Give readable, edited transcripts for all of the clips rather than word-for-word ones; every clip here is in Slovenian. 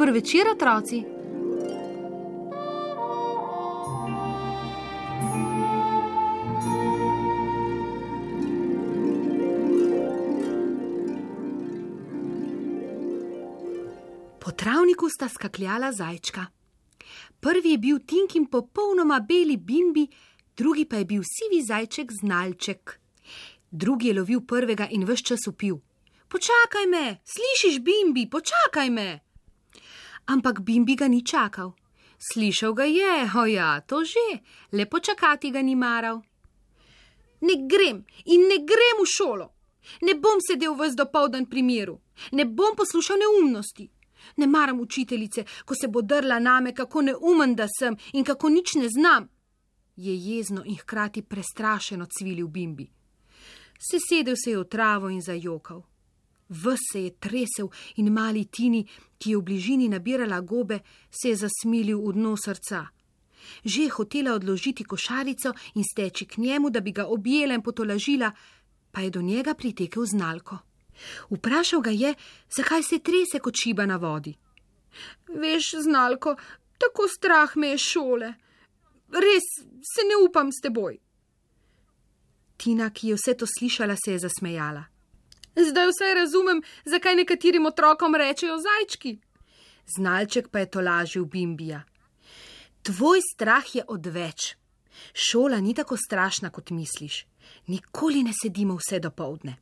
Dober večer, otroci. Po travniku sta skakljala zajčka. Prvi je bil Tinkin popolnoma beli Bimbi, drugi pa je bil sivi zajček Znalček. Drugi je lovil prvega in ves čas vpil: Počakaj me, slišiš, Bimbi, počakaj me. Ampak Bimbi ga ni čakal. Slišal ga je, ja, to že, le počakati ga ni maral. Ne grem in ne grem v šolo. Ne bom sedel ves dopoldan pri miru. Ne bom poslušal neumnosti. Ne maram učiteljice, ko se bo drla name, kako neumen da sem in kako nič ne znam. Je jezno in hkrati prestrašeno cvilil Bimbi. Sesedel se je v travo in zajokal. Ves se je tresel in mali Tini, ki je v bližini nabirala gobe, se je zasmilil v dno srca. Že je hotela odložiti košarico in steči k njemu, da bi ga objela in potolažila, pa je do njega pritekel Znalko. Vprašal ga je, zakaj se trese kot šiba na vodi. Veš, Znalko, tako strah me je šole. Res se ne upam s teboj. Tina, ki je vse to slišala, se je zasmejala. Zdaj vsaj razumem, zakaj nekaterim otrokom rečejo zajčki. Znalček pa je tolažil Bimbija. Tvoj strah je odveč. Šola ni tako strašna, kot misliš. Nikoli ne sedimo vse dopoldne.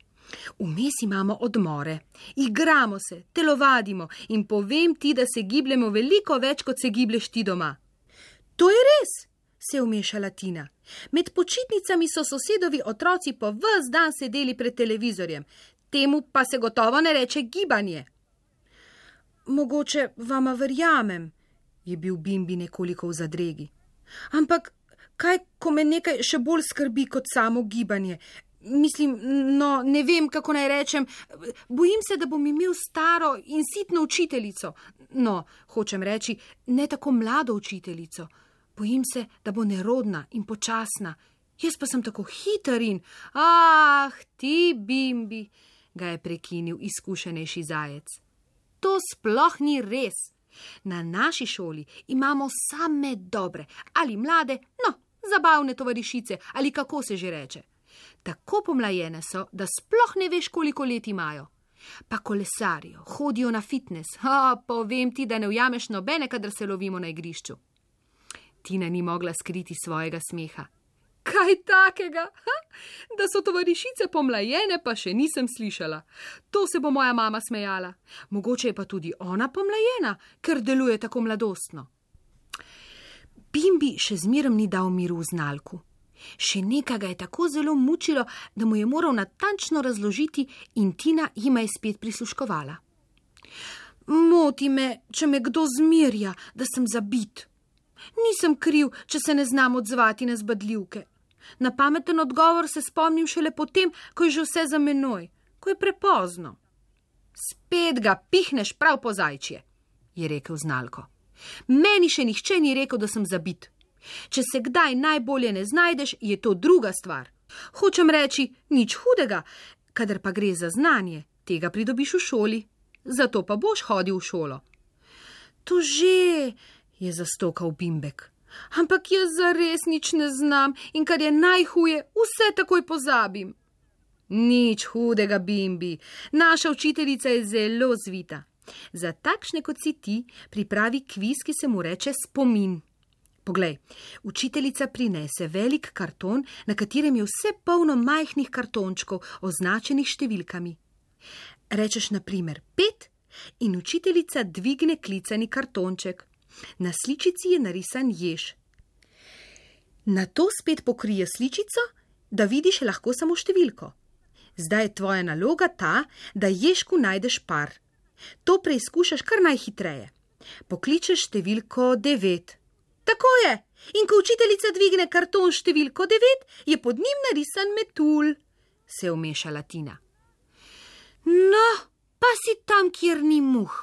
Vmes imamo odmore, igramo se, telovadimo in povem ti, da se gibljemo veliko več, kot se giblješ ti doma. To je res, se je vmešala Tina. Med počitnicami so sosedovi otroci po ves dan sedeli pred televizorjem. Temu pa se gotovo ne reče gibanje. Mogoče vama verjamem, je bil Bimbi nekoliko v zadregi. Ampak kaj, ko me nekaj še bolj skrbi kot samo gibanje? Mislim, no, ne vem, kako naj rečem. Bojim se, da bom imel staro in sitno učiteljico. No, hočem reči, ne tako mlado učiteljico. Bojim se, da bo nerodna in počasna. Jaz pa sem tako hiter in... ti, Bimbi, ga je prekinil izkušenejši zajec. To sploh ni res. Na naši šoli imamo same dobre ali mlade, no, zabavne tovarišice ali kako se že reče. Tako pomlajene so, da sploh ne veš, koliko let imajo. Pa kolesarijo, hodijo na fitness. Povem ti, da ne ujameš nobene, kadar se lovimo na igrišču. Tina ni mogla skriti svojega smeha. Kaj takega? Da so tovarišice pomlajene, pa še nisem slišala. To se bo moja mama smejala. Mogoče je pa tudi ona pomlajena, ker deluje tako mladostno. Bimbi še zmeraj ni dal miru v Znalku. Še nekaj ga je tako zelo mučilo, da mu je moral natančno razložiti in Tina jima je spet prisluškovala. Moti me, če me kdo zmerja, da sem zabit. Nisem kriv, če se ne znam odzvati na zbadljivke. Na pameten odgovor se spomnim šele potem, ko je že vse za menoj, ko je prepozno. Spet ga pihneš prav po zajčje, je rekel Znalko. Meni še nihče ni rekel, da sem zabit. Če se kdaj najbolje ne znajdeš, je to druga stvar. Hočem reči, nič hudega, kadar pa gre za znanje, tega pridobiš v šoli. Zato pa boš hodil v šolo. To že, je zastokal Bimbek. Ampak jaz zares nič ne znam in kar je najhuje, vse takoj pozabim. Nič hudega, Bimbi. Naša učiteljica je zelo zvita. Za takšne kot si ti pripravi kviz, ki se mu reče spomin. Poglej, učiteljica prinese velik karton, na katerem je vse polno majhnih kartončkov, označenih številkami. Rečeš na primer 5 in učiteljica dvigne klicani kartonček. Na sličici je narisan jež. Nato spet pokrije sličico, da vidiš lahko samo številko. Zdaj je tvoja naloga ta, da ježku najdeš par. To preizkušaš kar najhitreje. Pokličeš številko 9. Tako je. In ko učiteljica dvigne karton številko 9, je pod njim narisan metulj, se je vmešala Tina. No, pa si tam, kjer ni muh,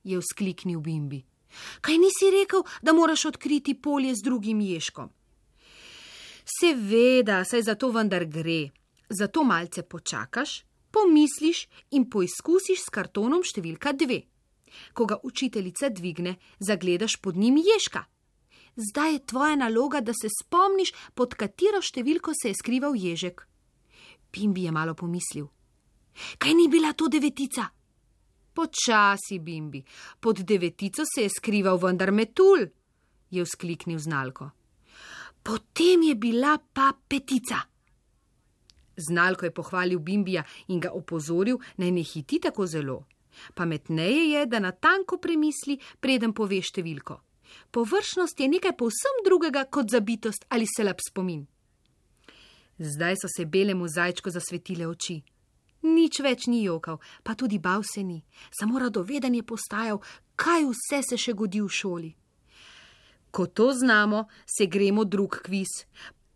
je vzkliknil Bimbi. Kaj nisi rekel, da moraš odkriti polje z drugim ježkom? Seveda, saj za to vendar gre. Zato malce počakaš, pomisliš in poizkusiš s kartonom številka 2. Ko ga učiteljica dvigne, zagledaš pod njim ježka. Zdaj je tvoja naloga, da se spomniš, pod katero številko se je skrival ježek. Bimbi je malo pomislil. Kaj ni bila to 9? Počasi, Bimbi, pod 9 se je skrival vendar metulj, je vzkliknil Znalko. Potem je bila pa 5. Znalko je pohvalil Bimbija in ga opozoril, naj ne hiti tako zelo. Pametneje je, da natanko premisli, preden pove številko. Površnost je nekaj povsem drugega kot zabitost ali slab spomin. Zdaj so se belemu zajčku zasvetile oči. Nič več ni jokal, pa tudi bal se ni, samo radoveden je postajal, kaj vse se še godi v šoli. Ko to znamo, se gremo drug kviz,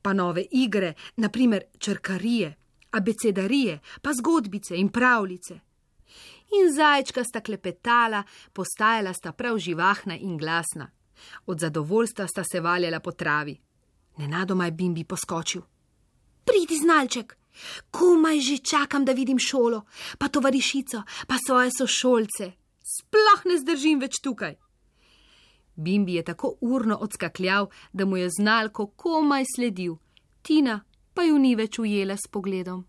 pa nove igre, naprimer črkarije, abecedarije, pa zgodbice in pravljice. In zajčka sta klepetala, postajala sta prav živahna in glasna. Od zadovoljstva sta se valjala po travi. Nenadoma je Bimbi poskočil. Pridi, Znalček, komaj že čakam, da vidim šolo, pa tovarišico, pa svoje sošolce. Sploh ne zdržim več tukaj. Bimbi je tako urno odskakljal, da mu je Znalko komaj sledil. Tina pa ju ni več ujela s pogledom.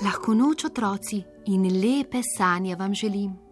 Lahko noč, otroci, in lepe sanje vam želim.